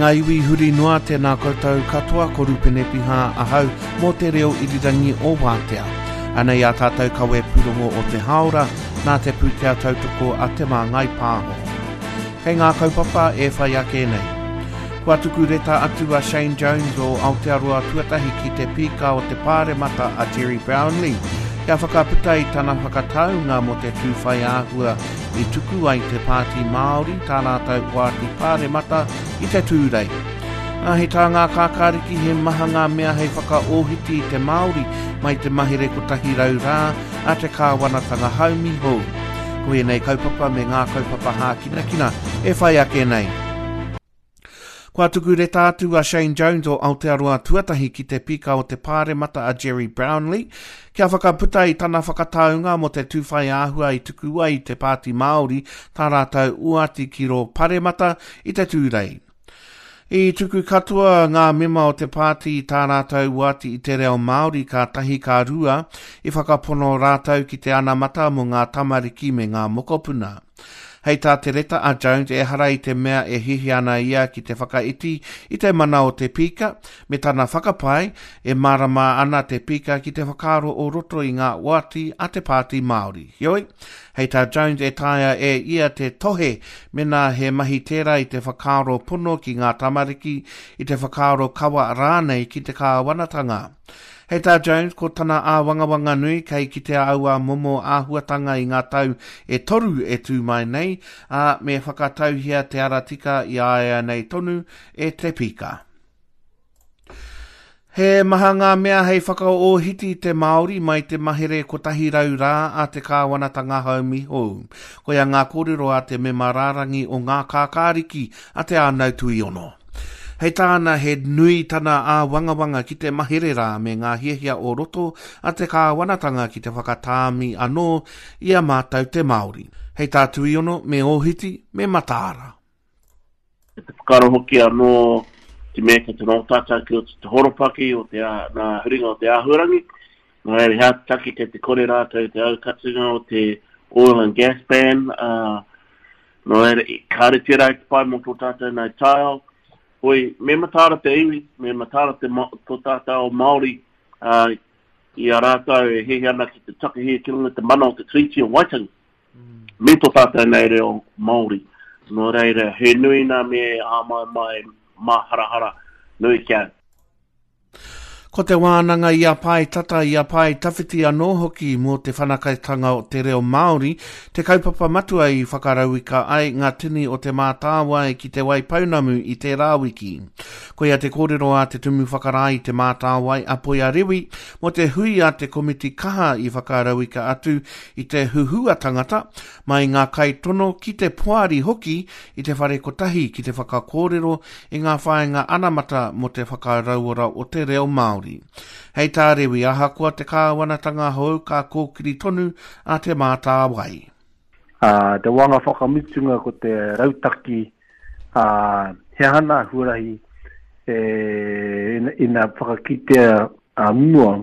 ngā iwi huri noa, tēnā koutou katoa, ko Rupene Piha ahau mō te reo irirangi o Wātea. Anei ā tātou kawe pūrongo o te hāora, nā te pūtea tautoko a Te Māngai Pāho. Kei ngā kaupapa e whai ake nei. Kua tuku reta atu a Shane Jones o Aotearoa Tuatahi ki te Pīka o te Pāremata a Gerry Brownlee kia whakaputa i tana whakataunga mō te tū whai āhua i tuku ai te Pāti Māori tā rātou oati pāremata i te Tūrei. Ā, hei tā ngā kākāriki he maha ngā mea hei whakaōhiti i te Māori mai te mahere 100 rā a te kāwanatanga haumi hou. Ko ēnei kaupapa me ngā kaupapa hākinakina e whai ake nei. Kua tuku reta atu a Shane Jones o Aotearoa Tuatahi ki te Pīka o te Pāremata a Gerry Brownlee kia whakaputa i tana whakataunga mō te tūwhai āhua i tuku ai te Pāti Māori tā rātou oati ki rō Paremata i te Tūrei. I tuku katoa ngā mema o te pāti i tā rātou oati i te reo Māori ka tahi ka rua i whakapono rātou ki te anamata mō ngā tamariki me ngā mokopuna. Hei tā te reta a Jones ehara i te mea e hiahia ana ia ki te whakaiti i te mana o te pīka, me tana whakapae, e mārama ana te pīka ki te whakaaro o roto i ngā oati a te Pāti Māori. Heoi, hei tā Jones e taea e ia te tohe mēnā he mahi tērā i te whakaaro pono ki ngā tamariki, i te whakaaro kawa rānei ki te kāwanatanga. Hei tā Jones, ko tana āwangawanga nui kei kitea aua momo āhuatanga i ngā tau e toru e tū mai nei, ā, me whakatauhia te ara tika i a ia nei tonu e te pīka. He maha ngā mea hei whakaōhiti i te Māori mai te mahere 100 rā a te kāwanatanga haumi hou. Koia ngā kōrero a te mema rārangi o Ngā Kākāriki a Te Ānau Tuiono. Hei tāna he nui tana āwangawanga ki te mahere rā me ngā hiahia o roto a te kāwanatanga ki te whakatāmi anō i a mātou te Māori. Hei tā Tuiono, me ōhiti, me mataara. Me te whakaaro hoki anō te mea kei te noho tātou ki roto i te horopaki o te, nā huringa o te āhuarangi, nā reira he aha te take kei te kore rātou i te aukatinga o te oil and gas ban, ā, Nō reira, kāre tērā i te pai mō tō tātou nei taiao. Hoi, me mataara te iwi, me mataara te, tō tātou ao Māori ā, i a rātou e hiahia ana ki te takahi ki runga i te mana o te Tiriti o Waitangi, me tō tātou nei reo Māori. Nō reira, he nui nā me āmaimai māharahara nui ki au. Ko te wānanga i a Pae Tata, i a Pae Tawhiti anō hoki mō te whanaketanga o te reo Māori, te kaupapa matua i whakarauika ai ngā tini o Te Mātāwai ki Te Waipounamu i tērā wiki. Koia te kōrero a te Tumu Whakarae i Te Mātāwai, a Poia Rewi, mō te hui a te komiti kaha i whakarauika atu i te huhua tangata, mai ngā kaitono ki te poari hoki i te whare kotahi ki te whakakōrero i ngā whāinga anamata mō te whakarauora o te reo Māori. Hei tā Rewi, ahakoa te kāwanatanga hou ka kōkiri tonu a Te Mātāwai. Ā, te wānga whakamutunga ko te rautaki, ā, he aha nā huarahi e, ina whakakitea a mua,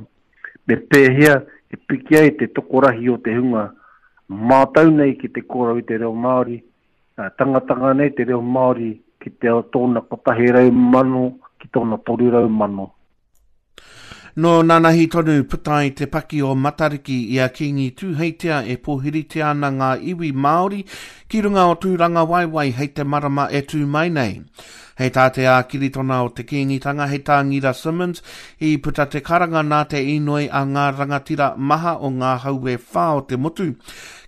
me pēhea e piki ai te tokorahi o te hunga mātau nei ki te kōrero i te reo Māori, tangatanga nei te reo Māori ki te tōna 100,000 ki tōna 300,000. Nō nanahi tonu puta ai te paki o Matariki i a Kīngi Tūheitia e pōhiritia ana ngā iwi Māori ki runga o Tūrangawaewae hei te marama e tū mai nei. Hei tā te ākiritona o te Kīngitanga, hei tā Ngira Simmonds, i puta te karanga nā te inoi a ngā rangatira maha o ngā hau e whā o te motu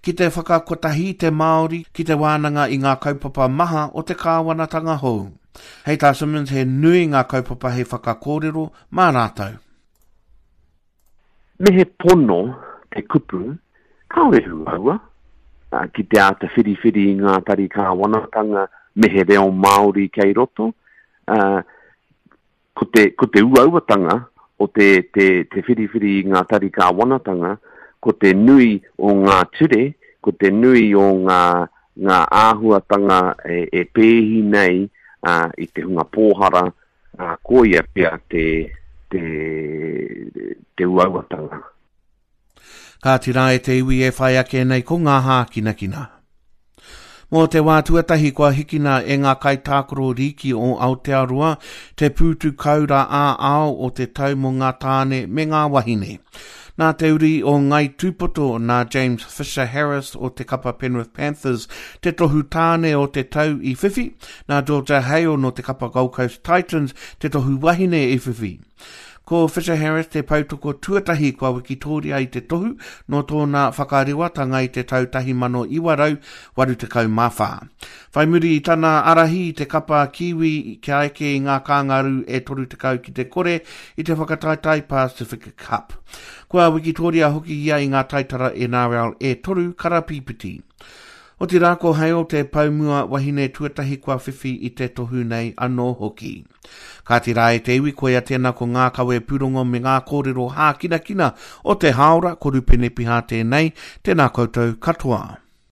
ki te whakakotahi i te Māori ki te wānanga i ngā kaupapa maha o te kāwanatanga hou. Hei tā Simmonds he nui ngā kaupapa hei whakakōrero mā rātou. Me he pono te kupu, kāore he uaua ki te āta whiriwhiri i ngā tari kāwanatanga me he reo Māori kei roto. Ko te, ko te uauatanga o te, te, te whiriwhiri i ngā tari kāwanatanga, ko te nui o ngā ture, ko te nui o ngā, ngā āhuatanga e, e pēhi nei i te hunga pōhara, Ā, koia pea te, te, te uauatanga. Kāti rā e te iwi e whai ake nei ko ngā hākinakina. Mō te wā tuatahi kua hikina e ngā kaitākaro rīki o Aotearoa te pūtu kaura ā-ao o te tau mō ngā tāne me ngā wahine. Nā te uri o Ngāi Tūpoto, nā James Fisher Harris o te kapa Penrith Panthers te tohu tāne o te tau i whiwhi, nā Georgia Hale nō te kapa Gold Coast Titans te tohu wahine i whiwhi. Ko Fisher Harris te poutoko tuatahi kua wikitōria i te tohu nō tōna whakarewatanga i te tau 1984. Whai muri i tana ārahi i te kapa Kiwi kia eke i ngā kāngarū e 30 ki te kore i te whakataetae Pacific Cup. Kua wikitōria hoki ia i ngā taitara NRL e toru karapīpiti. Otirā ko Hale te poumua wahine tuatahi kua whiwhi i te tohu nei anō hoki. Kāti rā e te iwi, koia tēnā ko ngā kawe pūrongo me ngā kōrero hākinakina o te hāora, ko Rupene Piha tēnei, tēnā koutou katoa.